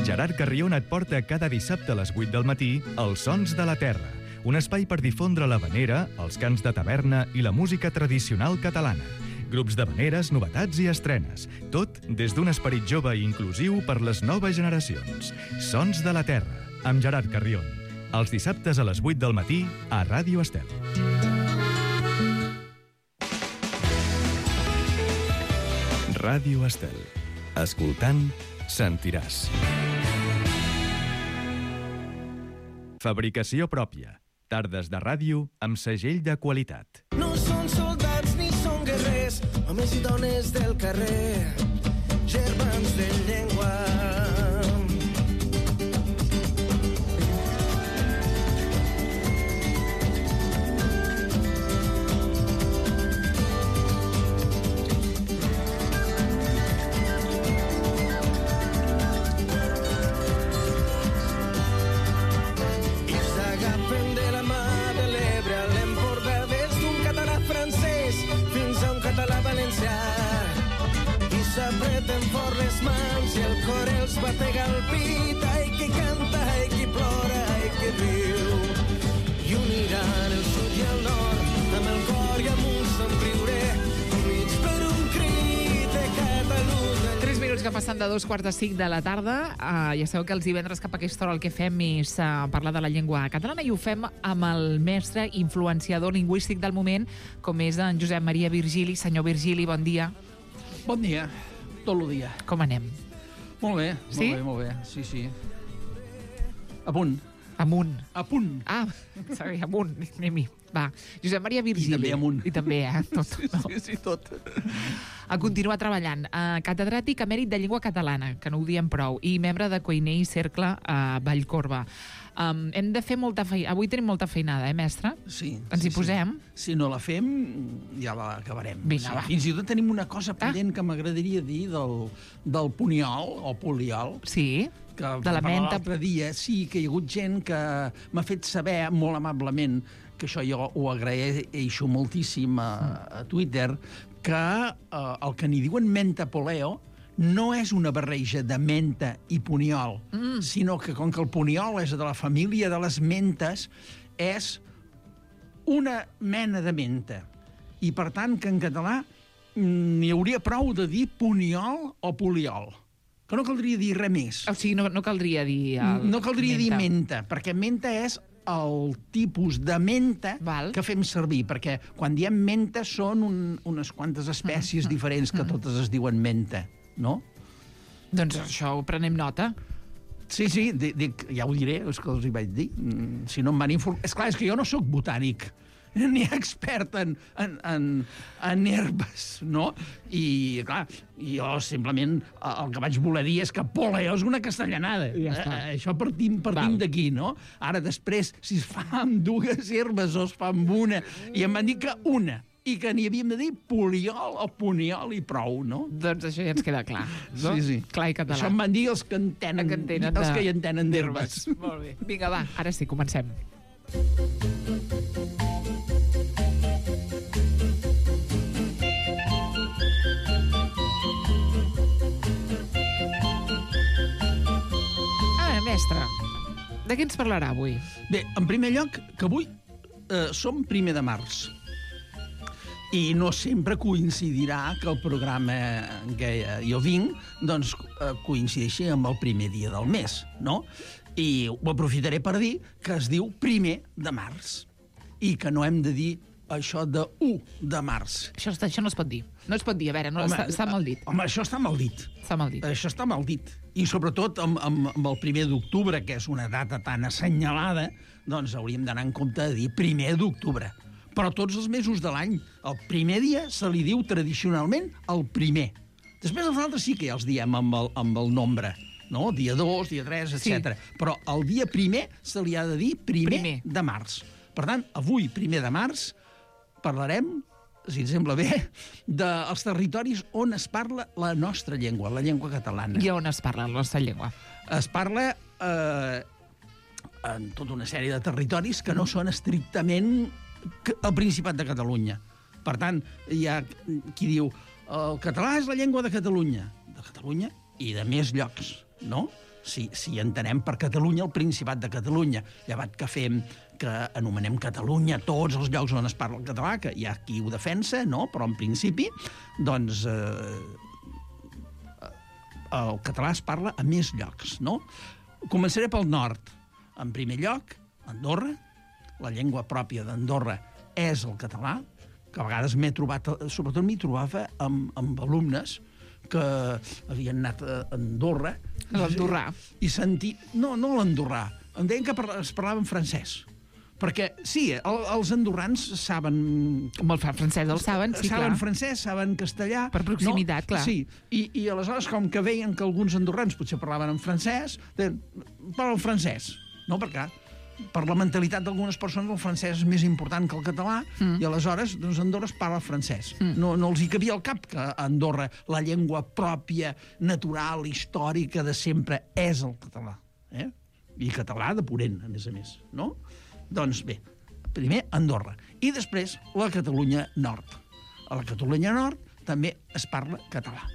Gerard Carrion et porta cada dissabte a les 8 del matí Els Sons de la Terra, un espai per difondre l'havanera, els cants de taverna i la música tradicional catalana. Grups d'havaneres, novetats i estrenes. Tot des d'un esperit jove i inclusiu per les noves generacions. Sons de la Terra, amb Gerard Carrion. Els dissabtes a les 8 del matí a Ràdio Estel. Ràdio Estel. Escoltant, sentiràs. Fabricació pròpia. Tardes de ràdio amb segell de qualitat. No són soldats ni són guerrers, homes i dones del carrer, germans de llengua. S'apreten fort les mans i el cor els batega al pit. Ai, qui canta, ai, qui plora, ai, qui riu. I uniran el sud i el nord amb el cor i amb un somriure, units per un crit de Catalunya. 3 minuts que passen de 2:45 de la tarda. Ja sabeu que els divendres cap a aquesta hora el que fem és parlar de la llengua catalana i ho fem amb el mestre influenciador lingüístic del moment, com és en Josep Maria Virgili. Senyor Virgili, bon dia. Bon dia, tot el dia. Com anem? Molt bé, Sí? molt bé, sí, sí. A punt. Amunt. A punt. Ah, sorry, amunt. Anem-hi. Va, Josep Maria Virgili. I també amunt. I també, tot. Sí, sí, tot. A continuar treballant. Catedràtic emèrit de llengua catalana, que no ho diem prou, i membre de Cuiner i Cercle a Vallcorba. Hem de fer molta feina. Avui tenim molta feinada, mestre? Sí. Ens hi posem? Si no la fem, ja l'acabarem. Vinga, va. Fins i tot tenim una cosa pendent que m'agradaria dir del puniol o poliol, Sí, que de la menta. l'altre dia, sí, que hi ha hagut gent que m'ha fet saber molt amablement, que això jo ho agraeixo moltíssim a Twitter, que el que n'hi diuen menta poleo no és una barreja de menta i puniol, sinó que com que el puniol és de la família de les mentes, és una mena de menta. I per tant que en català n'hi hauria prou de dir puniol o poliol. Que no caldria dir res més. O sigui, no caldria dir... No caldria dir menta, perquè menta és el tipus de menta Val. que fem servir, perquè quan diem menta són unes quantes espècies diferents que totes es diuen menta, no? Doncs això ho prenem nota. Sí, sí, dic, ja ho diré, és que els hi vaig dir. Si no em van informar... Esclar, és que jo no sóc botànic, ni expert en herbes, no? I, clar, jo simplement el que vaig voler dir és que poleo és una castellanada. Ja està. Això partim d'aquí, no? Ara, després, si es fa amb dues herbes o es fa amb una, i em van dir que una, i que n'hi havíem de dir poliol o puniol i prou, no? Doncs això ja ens queda clar. No? Sí, sí. Clar i català. Això em van dir els que entenen, els que hi entenen d'herbes. Molt bé. Vinga, va, ara sí, comencem. Mestre, de què ens parlarà avui? Bé, en primer lloc, que avui som 1 de març. I no sempre coincidirà que el programa en què jo vinc doncs, coincideixi amb el primer dia del mes, no? I ho aprofitaré per dir que es diu 1 de març i que no hem de dir això de 1 de març. Això no es pot dir. No es pot dir, a veure, està mal dit. Home, això està mal dit. Està mal dit. Això està mal dit. I sobretot amb el 1 d'octubre, que és una data tan assenyalada, doncs hauríem d'anar en compte de dir 1 d'octubre. Però tots els mesos de l'any, el primer dia se li diu tradicionalment el primer. Després els altres sí que ja els diem amb el nombre, no? Dia 2, dia 3, etc. Sí. Però el dia primer se li ha de dir primer de març. Per tant, avui, 1 de març, parlarem, si ens sembla bé, dels territoris on es parla la nostra llengua, la llengua catalana. I on es parla la nostra llengua? Es parla en tota una sèrie de territoris que no són estrictament el Principat de Catalunya. Per tant, hi ha qui diu el català és la llengua de Catalunya i de més llocs, no? Si entenem per Catalunya el Principat de Catalunya, llevat que fem que anomenem Catalunya tots els llocs on es parla el català, que hi ha qui ho defensa, no? Però en principi, doncs, el català es parla a més llocs, no? Començaré pel nord. En primer lloc, Andorra. La llengua pròpia d'Andorra és el català, que a vegades m'he trobat, sobretot m'hi trobava amb alumnes que havien anat a Andorra. L'andorrà. I sentir... No l'andorrà. Em deien que es parlava en francès. Perquè, sí, els andorrans saben... Com el francès el saben, sí, clar. Saben francès, saben castellà... Per proximitat, clar. Sí, i aleshores, com que veien que alguns andorrans potser parlaven en francès, deien, parla en francès. No, perquè per la mentalitat d'algunes persones el francès és més important que el català i aleshores doncs, Andorra es parla francès. No els hi cabia al cap que a Andorra la llengua pròpia, natural, històrica de sempre és el català. I català de purent, a més. No? Doncs bé, primer Andorra. I després la Catalunya Nord. A la Catalunya Nord també es parla català.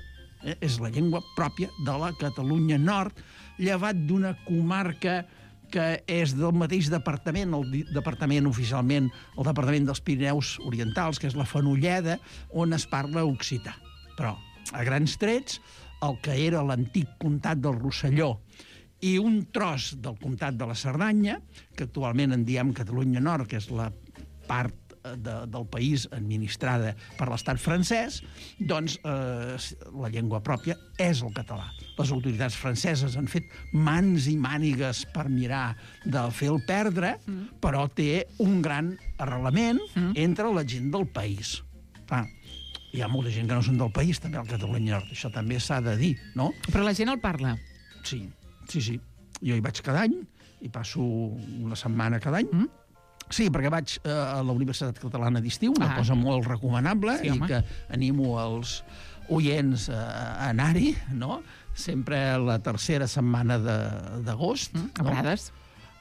És la llengua pròpia de la Catalunya Nord, llevat d'una comarca que és del mateix departament, el departament oficialment, el departament dels Pirineus Orientals, que és la Fenolleda, on es parla occità. Però, a grans trets, el que era l'antic comtat del Rosselló i un tros del comtat de la Cerdanya, que actualment en diem Catalunya Nord, que és la part del país administrada per l'estat francès, doncs la llengua pròpia és el català. Les autoritats franceses han fet mans i mànigues per mirar de fer-lo perdre, però té un gran arrelament entre la gent del país. Hi ha molta gent que no són del país, també al Catalunya Nord, això també s'ha de dir, no? Però la gent el parla. Sí. Jo hi vaig cada any, hi passo una setmana cada any. Sí, perquè vaig a la Universitat Catalana d'Estiu, una cosa molt recomanable, i que animo els oients a anar-hi, no? Sempre la tercera setmana d'agost. A Prades?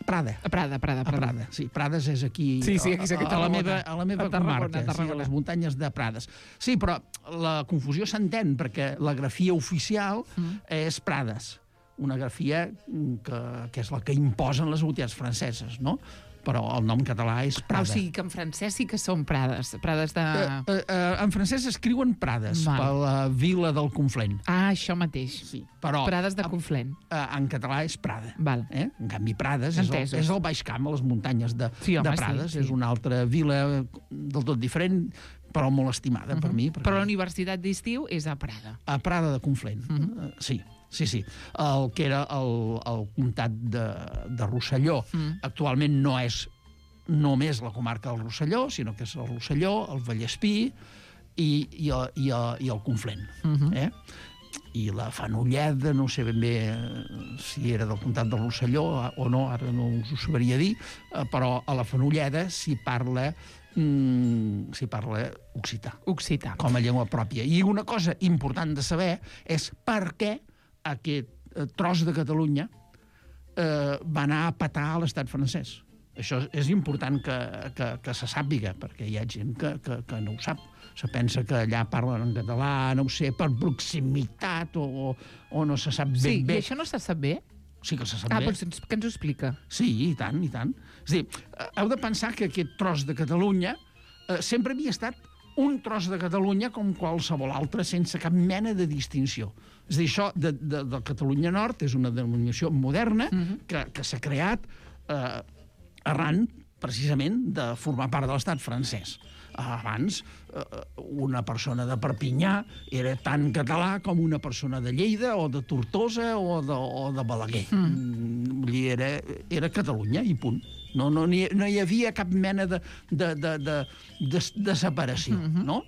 A Prada. Sí, Prades és aquí, a la meva comarca, a les muntanyes de Prades. Sí, però la confusió s'entén, perquè la grafia oficial és Prades, una grafia que és la que imposen les autoritats franceses, no? Però el nom català és Prada. O sigui que en francès sí que són Prades. Prades de... En francès escriuen Prades, per la vila del Conflent. Això mateix. Sí, però... Prades de Conflent. En català és Prada. Val. En canvi, Prades és el Baix Camp, a les muntanyes de Prades. És una altra vila del tot diferent, però molt estimada per mi. Però la Universitat d'Estiu és a Prada. A Prada de Conflent, sí. Sí. El que era el comtat de Rosselló actualment no és només la comarca del Rosselló, sinó que és el Rosselló, el Vallespí i el Conflent. I la Fenolleda, no sé ben bé si era del comtat del Rosselló o no, ara no us ho sabria dir, però a la Fenolleda s'hi parla occità com a llengua pròpia. I una cosa important de saber és per què aquest tros de Catalunya va anar a petar a l'estat francès. Això és important que se sàpiga, perquè hi ha gent que no ho sap. Se pensa que allà parlen en català, no ho sé, per proximitat o no se sap ben bé. Sí, i això no se sap bé? Sí que se sap bé. Però què ens ho explica? Sí, i tant. És a dir, heu de pensar que aquest tros de Catalunya sempre havia estat un tros de Catalunya com qualsevol altre, sense cap mena de distinció. És a dir, això de Catalunya Nord és una denominació moderna que s'ha creat arran, precisament, de formar part de l'estat francès. Abans, una persona de Perpinyà era tan català com una persona de Lleida o de Tortosa o de Balaguer. Vull dir, era Catalunya i punt. No hi havia cap mena de separació, no?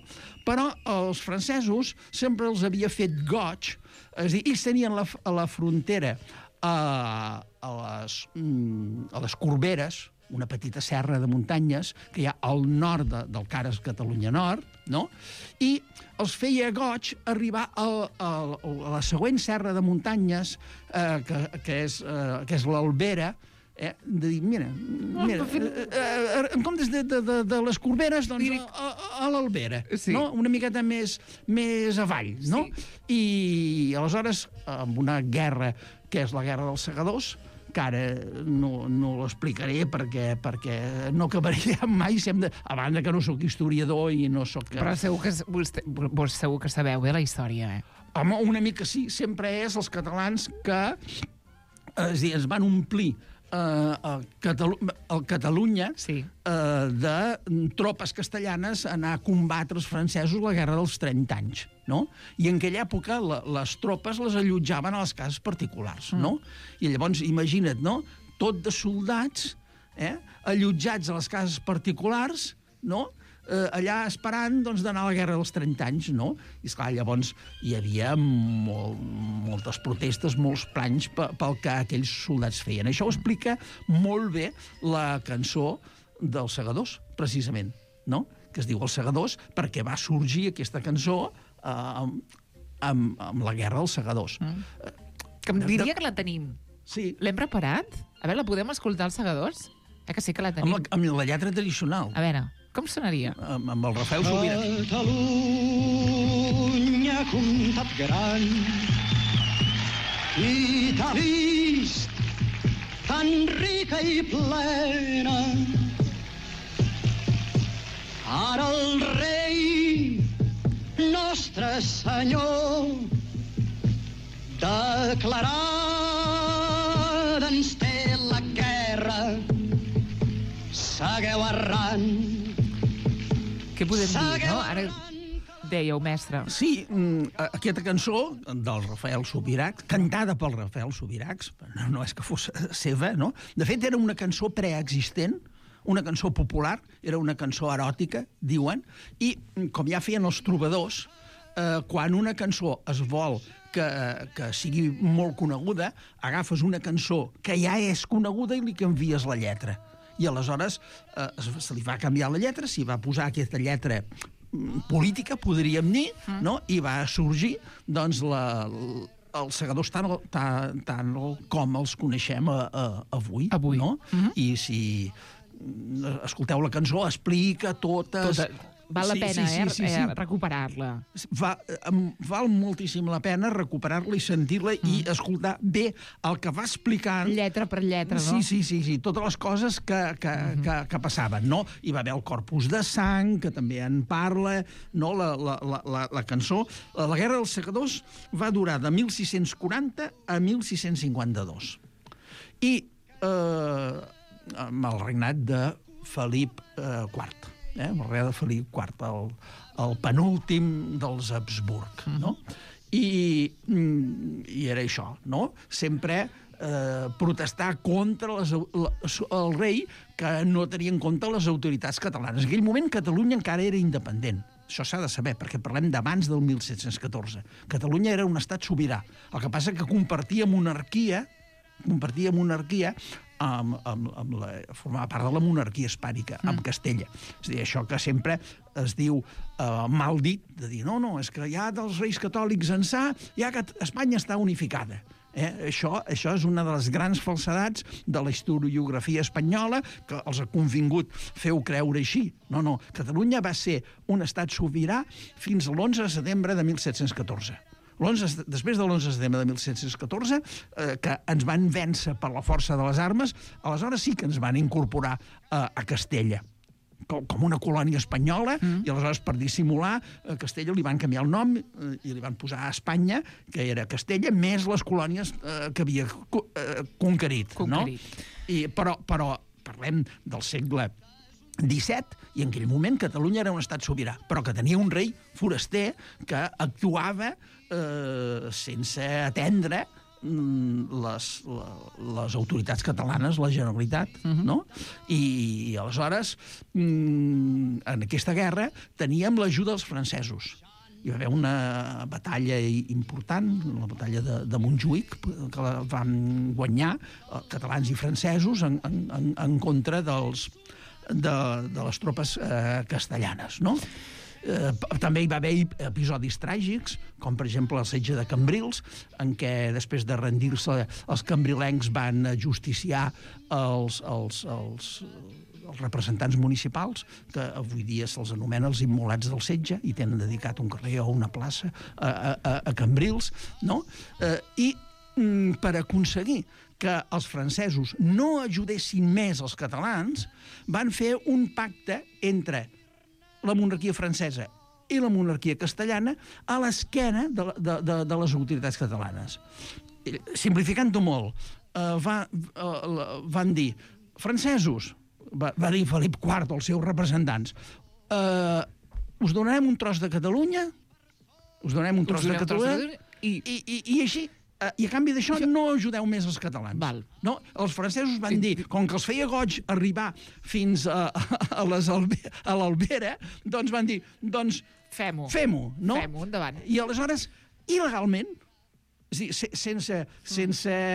Però els francesos sempre els havia fet goig, és a dir, ells tenien a la frontera a les Corberes, una petita serra de muntanyes que hi ha al nord del que ara és Catalunya Nord, no? I els feia goig arribar a la següent serra de muntanyes, que és l'Albera, de dir, mira, en comptes de les Corberes, doncs a l'Albera, no? Una miqueta més avall, no? I aleshores, amb una guerra que és la Guerra dels Segadors, que ara no l'explicaré perquè no acabaria mai, a banda que no sóc historiador i no sóc... Però segur que sabeu bé la història, Home, una mica sí, sempre és els catalans que es van omplir el Catalunya de tropes castellanes a anar a combatre els francesos la Guerra dels 30 anys, no? I en aquella època les tropes les allotjaven a les cases particulars, no? I llavors, imagina't, no? Tot de soldats allotjats a les cases particulars, no? Allà esperant d'anar a la Guerra dels 30 anys, no? I esclar, llavors hi havia moltes protestes, molts planys pel que aquells soldats feien. Això ho explica molt bé la cançó dels Segadors, precisament, no? Que es diu Els Segadors, perquè va sorgir aquesta cançó amb la Guerra dels Segadors. Que em diria que la tenim. Sí. L'hem preparat? A veure, la podem escoltar, Els Segadors? Que sí que la tenim. Amb la lletra tradicional. A veure, com sonaria? Amb el Rafael Subirà. Catalunya, comtat gran, i t'ha vist tan rica i plena. Ara el rei, nostre senyor, declarada ens té la guerra. Segueu errant. Què podem dir, no? Ara dèieu, mestre. Sí, aquesta cançó del Rafael Subirach, cantada pel Rafael Subirach, no és que fos seva, no? De fet, era una cançó preexistent, una cançó popular, era una cançó eròtica, diuen, i com ja feien els trobadors, quan una cançó es vol que sigui molt coneguda, agafes una cançó que ja és coneguda i li canvies la lletra. I aleshores se li va canviar la lletra, s'hi va posar aquesta lletra política, podríem dir, no? I va sorgir, doncs, els Segadors tant com els coneixem avui. No? I si escolteu la cançó, explica totes... Val la pena, recuperar-la. Val moltíssim la pena recuperar-la i sentir-la i escoltar bé el que va explicant... Lletra per lletra, no? Sí, totes les coses que passaven, no? Hi va haver el Corpus de Sang, que també en parla, no? La cançó. La Guerra dels Segadors va durar de 1640 a 1652. I amb el regnat de Felip IV. El rei de Felip IV, el penúltim dels Habsburg, no? I era això, no? Sempre protestar contra el rei que no tenia en compte les autoritats catalanes. En aquell moment Catalunya encara era independent. Això s'ha de saber, perquè parlem d'abans del 1714. Catalunya era un estat sobirà. El que passa que compartia monarquia formava part de la monarquia hispànica, amb Castella. És a dir, això que sempre es diu mal dit, de dir, no, és que ja dels reis catòlics ençà, ja que Espanya està unificada. Això és una de les grans falsedats de la historiografia espanyola, que els ha convingut feu creure així. No, Catalunya va ser un estat sobirà fins a l'11 de setembre de 1714. Després de l'11 de setembre de 1714, que ens van vèncer per la força de les armes, aleshores sí que ens van incorporar a Castella com una colònia espanyola, i aleshores per dissimular a Castella li van canviar el nom i li van posar a Espanya, que era Castella, més les colònies que havia conquerit. No? Però parlem del segle XVII, i en aquell moment Catalunya era un estat sobirà, però que tenia un rei foraster que actuava sense atendre les autoritats catalanes, la Generalitat, no? I aleshores, en aquesta guerra, teníem l'ajuda dels francesos. Hi va haver una batalla important, la batalla de Montjuïc, que la van guanyar catalans i francesos en contra de les tropes castellanes, no? També hi va haver episodis tràgics, com per exemple el setge de Cambrils, en què després de rendir-se els cambrilencs van justiciar els representants municipals, que avui dia se'ls anomena els immolats del setge, i tenen dedicat un carrer o una plaça a Cambrils, no? I per aconseguir que els francesos no ajudessin més els catalans, van fer un pacte entre la monarquia francesa i la monarquia castellana a l'esquena de les autoritats catalanes. Simplificant-ho molt, van dir, francesos, va dir Felip IV als seus representants, us donarem un tros de Catalunya, i així, i a canvi d'això no ajudeu més els catalans. No? Els francesos van dir, com que els feia goig arribar fins a l'Albera, doncs van dir, doncs fem-ho, no? Fem-ho, endavant. I aleshores, il·legalment, sense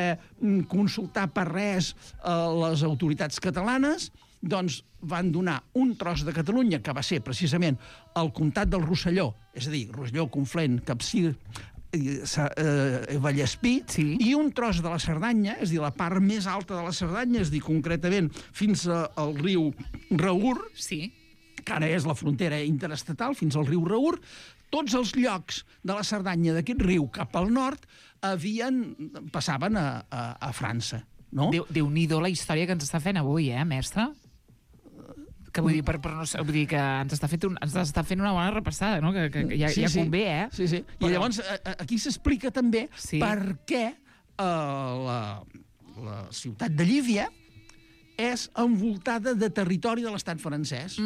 consultar per res les autoritats catalanes, doncs van donar un tros de Catalunya, que va ser precisament el comtat del Rosselló, és a dir, Rosselló, Conflent, Capcir, Vallespí, i un tros de la Cerdanya, és a dir, la part més alta de la Cerdanya, és a dir, concretament fins al riu Raur, que ara és la frontera interestatal, fins al riu Raur. Tots els llocs de la Cerdanya d'aquest riu cap al nord passaven a França. Déu-n'hi-do la història que ens està fent avui, mestre? Que vull dir, vull dir que ens està fent una bona repassada, no? Que ja convé, Sí. I llavors aquí s'explica també per què la ciutat de Llívia és envoltada de territori de l'estat francès.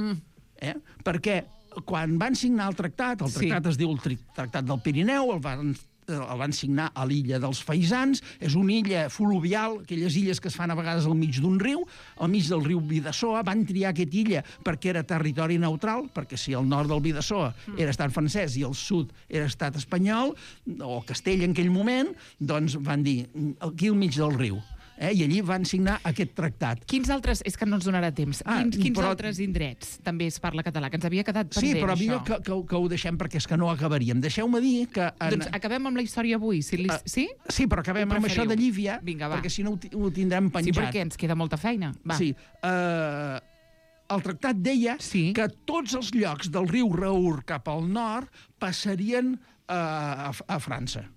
Perquè quan van signar el tractat es diu el Tractat del Pirineu, el van signar a l'illa dels Faisans, és una illa fluvial, aquelles illes que es fan a vegades al mig d'un riu, al mig del riu Bidasoa. Van triar aquesta illa perquè era territori neutral, perquè si el nord del Bidasoa era estat francès i el sud era estat espanyol, o Castella en aquell moment, doncs van dir, aquí al mig del riu. I allí van signar aquest tractat. Quins altres, és que no ens donarà temps, quins altres indrets també es parla català, que ens havia quedat pendent, això? Sí, però millor que ho deixem, perquè és que no acabaríem. Deixeu-me dir que... Doncs acabem amb la història avui, sí? Sí, però acabem amb això de Llívia, perquè si no ho tindrem penjat. Sí, perquè ens queda molta feina. Sí, el tractat deia que tots els llocs del riu Raur cap al nord passarien a França.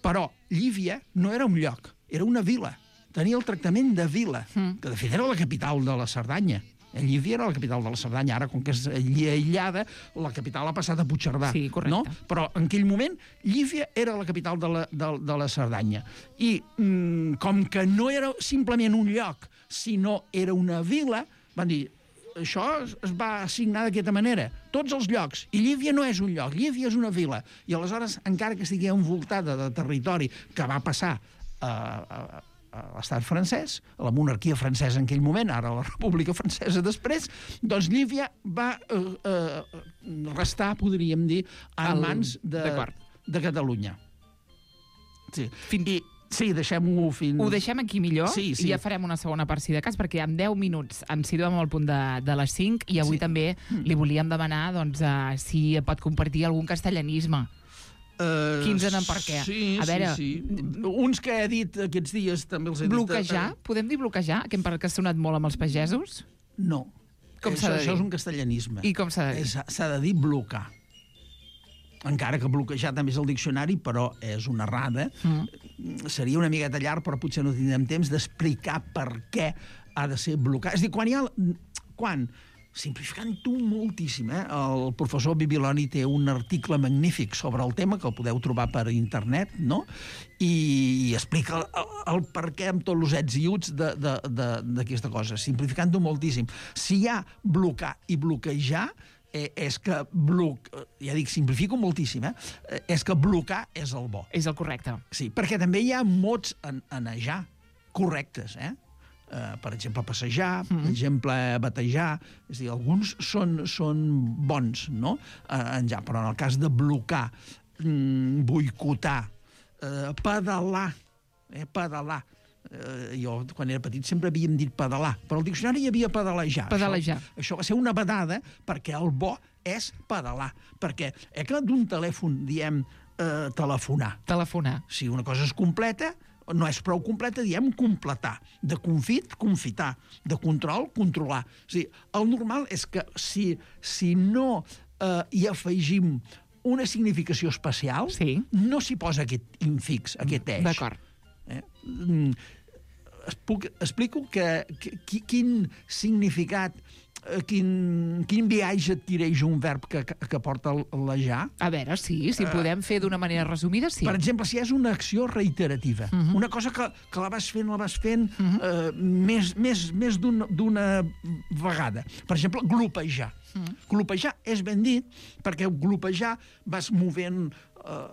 Però Llívia no era un lloc, era una vila. Tenia el tractament de vila, que de fet era la capital de la Cerdanya. Llívia era la capital de la Cerdanya, ara, com que és aïllada, la capital ha passat a Puigcerdà. Sí, correcte. No? Però en aquell moment, Llívia era la capital de la Cerdanya. I com que no era simplement un lloc, sinó era una vila, van dir, això es va assignar d'aquesta manera. Tots els llocs. I Llívia no és un lloc, Llívia és una vila. I aleshores, encara que estigui envoltada de territori que va passar a l'estat francès, a la monarquia francesa en aquell moment, ara la República Francesa després, doncs Llívia va restar, podríem dir, en mans de Catalunya. Sí. Sí, deixem-ho fins... Ho deixem aquí millor, i ja farem una segona part, si de cas, perquè en 10 minuts ens situem al punt de les 5, i avui també li volíem demanar si pot compartir algun castellanisme. Quins eren per què? Sí. Uns que he dit aquests dies també els he dit... Bloquejar? Podem dir bloquejar? Que ha sonat molt amb els pagesos? No. Com s'ha de dir? Això és un castellanisme. I com s'ha de dir? S'ha de dir blocar. Encara que bloquejar també és el diccionari, però és una errada. Seria una miqueta llarg, però potser no tindrem temps d'explicar per què ha de ser blocar. És a dir, quan simplificant-ho moltíslim, el professor Bibiloni té un article magnífic sobre el tema, que el podeu trobar per internet, no? I explica el per què amb tots els ets i uts d'aquesta cosa, simplificant-ho moltíssim. Si hi ha blocar i bloquejar, és que ja dic, simplifico moltíssim, és que blocar és el bo. És el correcte. Sí, perquè també hi ha mots en anejar correctes, per exemple, passejar, per exemple, batejar, és a dir, alguns són bons, no? Però en el cas de blocar, boicotar, pedalar, jo, quan era petit, sempre havíem dit pedalar, però al diccionari hi havia pedalejar. Pedalejar. Això va ser una vedada, perquè el bo és pedalar. Perquè que d'un telèfon diem telefonar. Telefonar. Si una cosa és completa, no és prou completa, diem completar. De confit, confitar. De control, controlar. O sigui, el normal és que si no hi afegim una significació especial, no s'hi posa aquest infix, aquest eix. D'acord. Explico quin significat, quin viatge adquireix un verb que porta l'ejar. A veure, si podem fer d'una manera resumida, sí. Per exemple, si és una acció reiterativa, una cosa que la vas fent més d'una vegada. Per exemple, glopejar. Glopejar és ben dit, perquè glopejar vas movent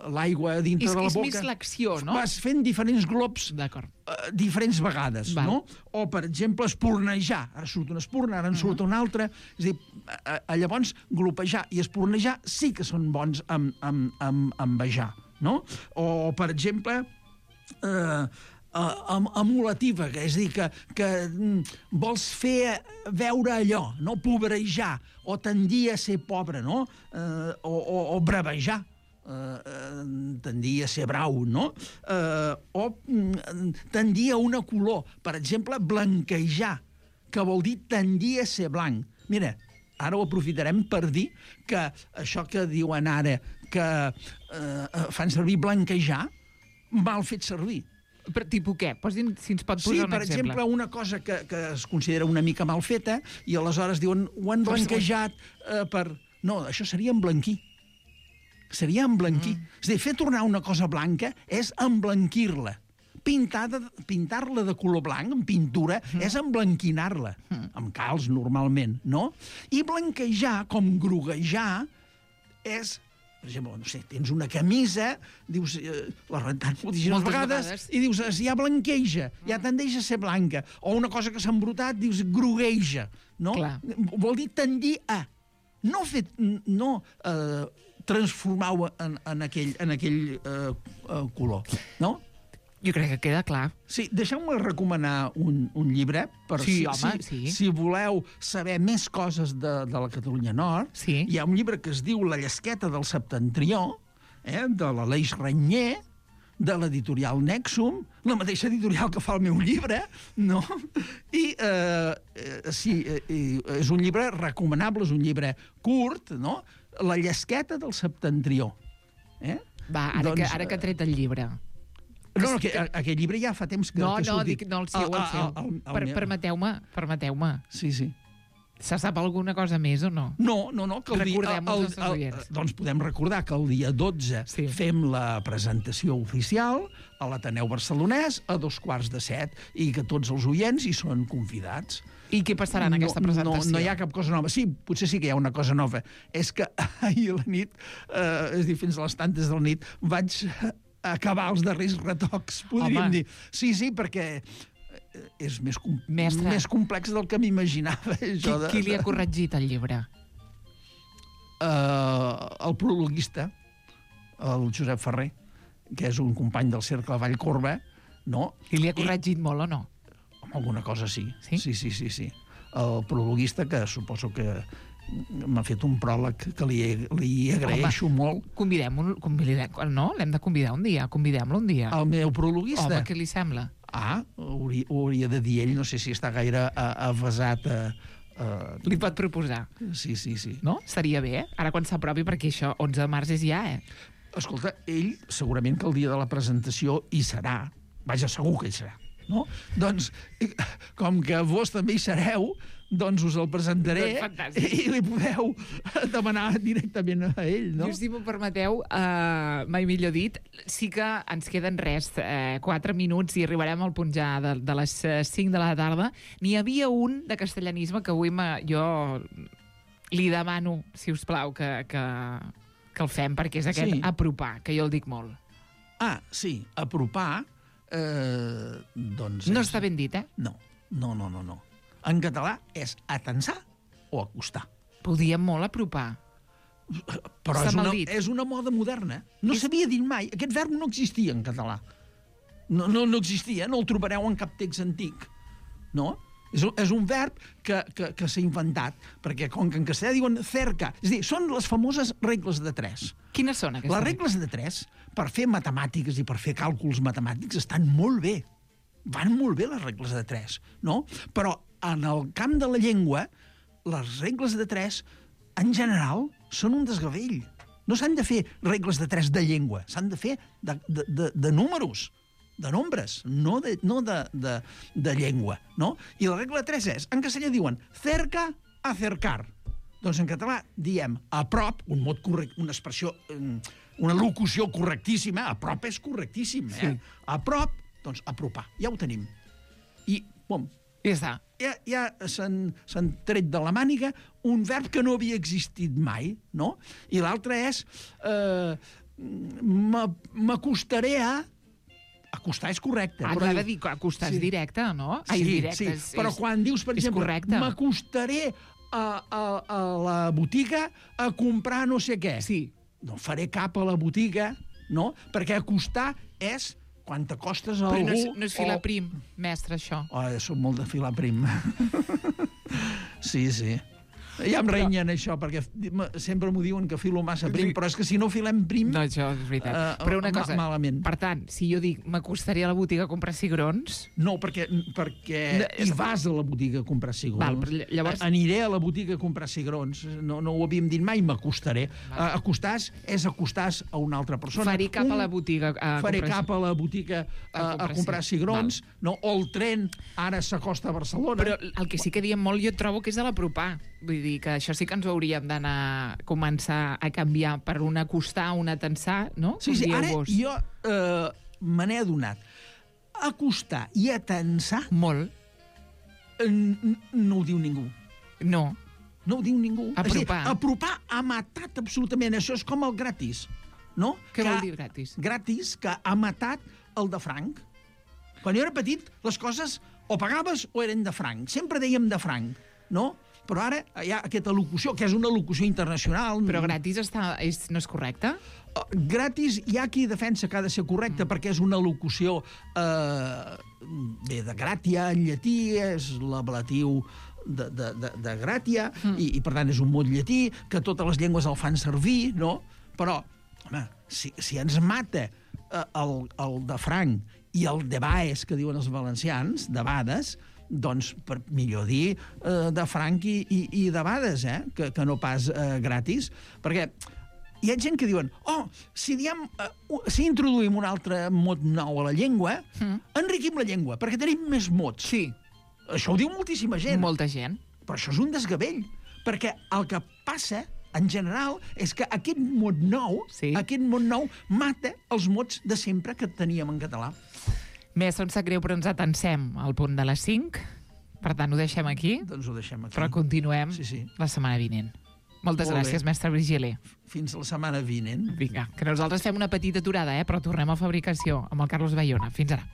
l'aigua dintre de la boca. És més l'acció, no? Vas fent diferents glops diferents vegades, no? O, per exemple, espurnejar. Ara surt una espurna, ara en surt una altra. És a dir, llavors, glopejar i espurnejar sí que són bons amb bejar, no? O, per exemple, emulativa, és a dir, que vols fer veure allò, no? Pobrejar, o tendir a ser pobre, no? O bravejar, tendir a ser brau, no? O tendir a una color. Per exemple, blanquejar, que vol dir tendir a ser blanc. Mira, ara ho aprofitarem per dir que això que diuen ara, que fan servir blanquejar, mal fet servir. Per tipus què? Si ens pot posar un exemple. Sí, per exemple, una cosa que es considera una mica mal feta i aleshores diuen ho han blanquejat per... No, això seria emblanquir. Seria emblanquir. És a dir, fer tornar una cosa blanca és emblanquir-la. Pintar-la de color blanc, amb pintura, és emblanquinar-la. Amb calç, normalment, no? I blanquejar, com groguejar, és... Per exemple, no sé, tens una camisa, dius, la rentant moltíssimes vegades, i dius, ja blanqueja, ja tendeix a ser blanca. O una cosa que s'ha embrutat, dius, grogueja, no? Vol dir tendir a. No transformar-ho en aquell color, no? Jo crec que queda clar. Sí, deixeu-me recomanar un llibre. Si voleu saber més coses de la Catalunya Nord, hi ha un llibre que es diu La llesqueta del septentrió, de l'Aleix Renyer, de l'editorial Nexum, la mateixa editorial que fa el meu llibre, no? I és un llibre recomanable, és un llibre curt, no? La llesqueta del septentrió. Va, ara que ha tret el llibre... No, aquest llibre ja fa temps que ha sortit. No, el seu. Permeteu-me. Sí. Se sap alguna cosa més o no? No. Recordem als nostres oients. Doncs podem recordar que el dia 12 fem la presentació oficial a l'Ateneu Barcelonès a 6:45 i que tots els oients hi són convidats. I què passarà en aquesta presentació? No hi ha cap cosa nova. Sí, potser sí que hi ha una cosa nova. És que ahir a la nit, és a dir, fins a les tantes de la nit, vaig acabar els darrers retocs, podríem dir. Sí, perquè és més complex del que m'imaginava. Qui li ha corregit el llibre? El prologuista, el Josep Ferrer, que és un company del Cercle Vallcorba, no? I li ha corregit molt o no? Alguna cosa sí. Sí. El prologuista, que suposo que m'ha fet un pròleg que li agraeixo molt. Convidem-lo, no? L'hem de convidar un dia. Convidem-lo un dia. El meu prologuista? Home, què li sembla? Ho hauria de dir ell. No sé si està gaire avasat a... Li pot proposar. Sí. No? Seria bé, Ara quan s'apropi, perquè això, 11 de març és ja, Escolta, ell segurament que el dia de la presentació hi serà. Vaja, segur que hi serà. no? Doncs, com que vos també hi sereu, doncs us el presentaré i li podeu demanar directament a ell, no? Jo, si m'ho permeteu, mai millor dit, sí que ens queden 4 minuts i arribarem al punt ja de les 5 de la tarda. N'hi havia un de castellanisme que avui jo li demano, si us plau, que el fem, perquè és aquest apropar, que jo el dic molt. Ah, sí, apropar, doncs... No està ben dit, eh? No. En català és atensar o acostar. Podíem molt apropar. Però és una moda moderna. No s'havia dit mai. Aquest verb no existia en català. No existia, no el trobareu en cap text antic. No? És un verb que s'ha inventat, perquè com que en castellà diuen cerca, és a dir, són les famoses regles de 3. Quines són aquestes? Les regles de 3, per fer matemàtiques i per fer càlculs matemàtics, estan molt bé. Van molt bé les regles de 3, no? Però en el camp de la llengua, les regles de 3, en general, són un desgavell. No s'han de fer regles de 3 de llengua, s'han de fer de números, de nombres, no de llengua, no? I la regla de 3 és, en castellà diuen cerca, acercar. Doncs en català diem a prop, un mot correcte, una expressió, una locució correctíssima, a prop és correctíssim, eh? Sí. A prop, doncs apropar, ja ho tenim. I, bom, ja està. Ja s'han tret de la màniga un verb que no havia existit mai, no? I l'altre és m'acostaré a... Acostar és correcte. Però de dir acostar és directe, no? Sí, però quan dius, per exemple, m'acostaré a la botiga a comprar no sé què. Sí. No faré cap a la botiga, no? Perquè acostar és quan t'acostes a algú... Però no és filar prim, mestre, això. Soc molt de filar prim. Sí. Ja em renyen això, perquè sempre m'ho diuen que filo massa prim, però és que si no filem prim... No, això és veritat. Però una cosa, malament. Per tant, si jo dic m'acostaré a la botiga a comprar cigrons... No, perquè hi vas a la botiga a comprar cigrons. Val, però llavors... Aniré a la botiga a comprar cigrons. No ho havíem dit mai, m'acostaré. Acostàs és acostàs a una altra persona. Faré cap a la botiga a comprar cigrons, no? O el tren ara s'acosta a Barcelona. Però el que sí que diem molt jo trobo que és de l'apropar. Vull dir que això sí que ens ho hauríem d'anar començar a canviar per un acostar, un atensar, no? Sí, ara jo me n'he adonat. Acostar i atensar... Molt. No ho diu ningú. No. No ho diu ningú. Apropar. Apropar ha matat absolutament. Això és com el gratis, no? Què vol dir gratis? Gratis, que ha matat el de franc. Quan jo era petit, les coses o pagaves o eren de franc. Sempre dèiem de franc, no? Però ara hi ha aquesta locució, que és una locució internacional... Però gratis no és correcte? Gratis hi ha qui defensa que ha de ser correcte perquè és una locució de gratia, en llatí, és l'ablatiu de gratia, i per tant és un mot llatí, que totes les llengües el fan servir, no? Però, home, si ens mata el de franc i el de baes, que diuen els valencians, de bades, doncs, per millor dir, de franc i de bades, que no pas gratis, perquè hi ha gent que diuen si introduïm un altre mot nou a la llengua, enriquim la llengua, perquè tenim més mots. Sí. Això ho diu moltíssima gent. Molta gent. Però això és un desgavell, perquè el que passa, en general, és que aquest mot nou mata els mots de sempre que teníem en català. Mestre, em sap greu, però ens atensem al punt de les 5. Per tant, ho deixem aquí. Doncs ho deixem aquí. Però continuem la setmana vinent. Moltes gràcies, mestre Virgili. Fins la setmana vinent. Vinga, que nosaltres fem una petita aturada, però tornem a fabricació amb el Carlos Bayona. Fins ara.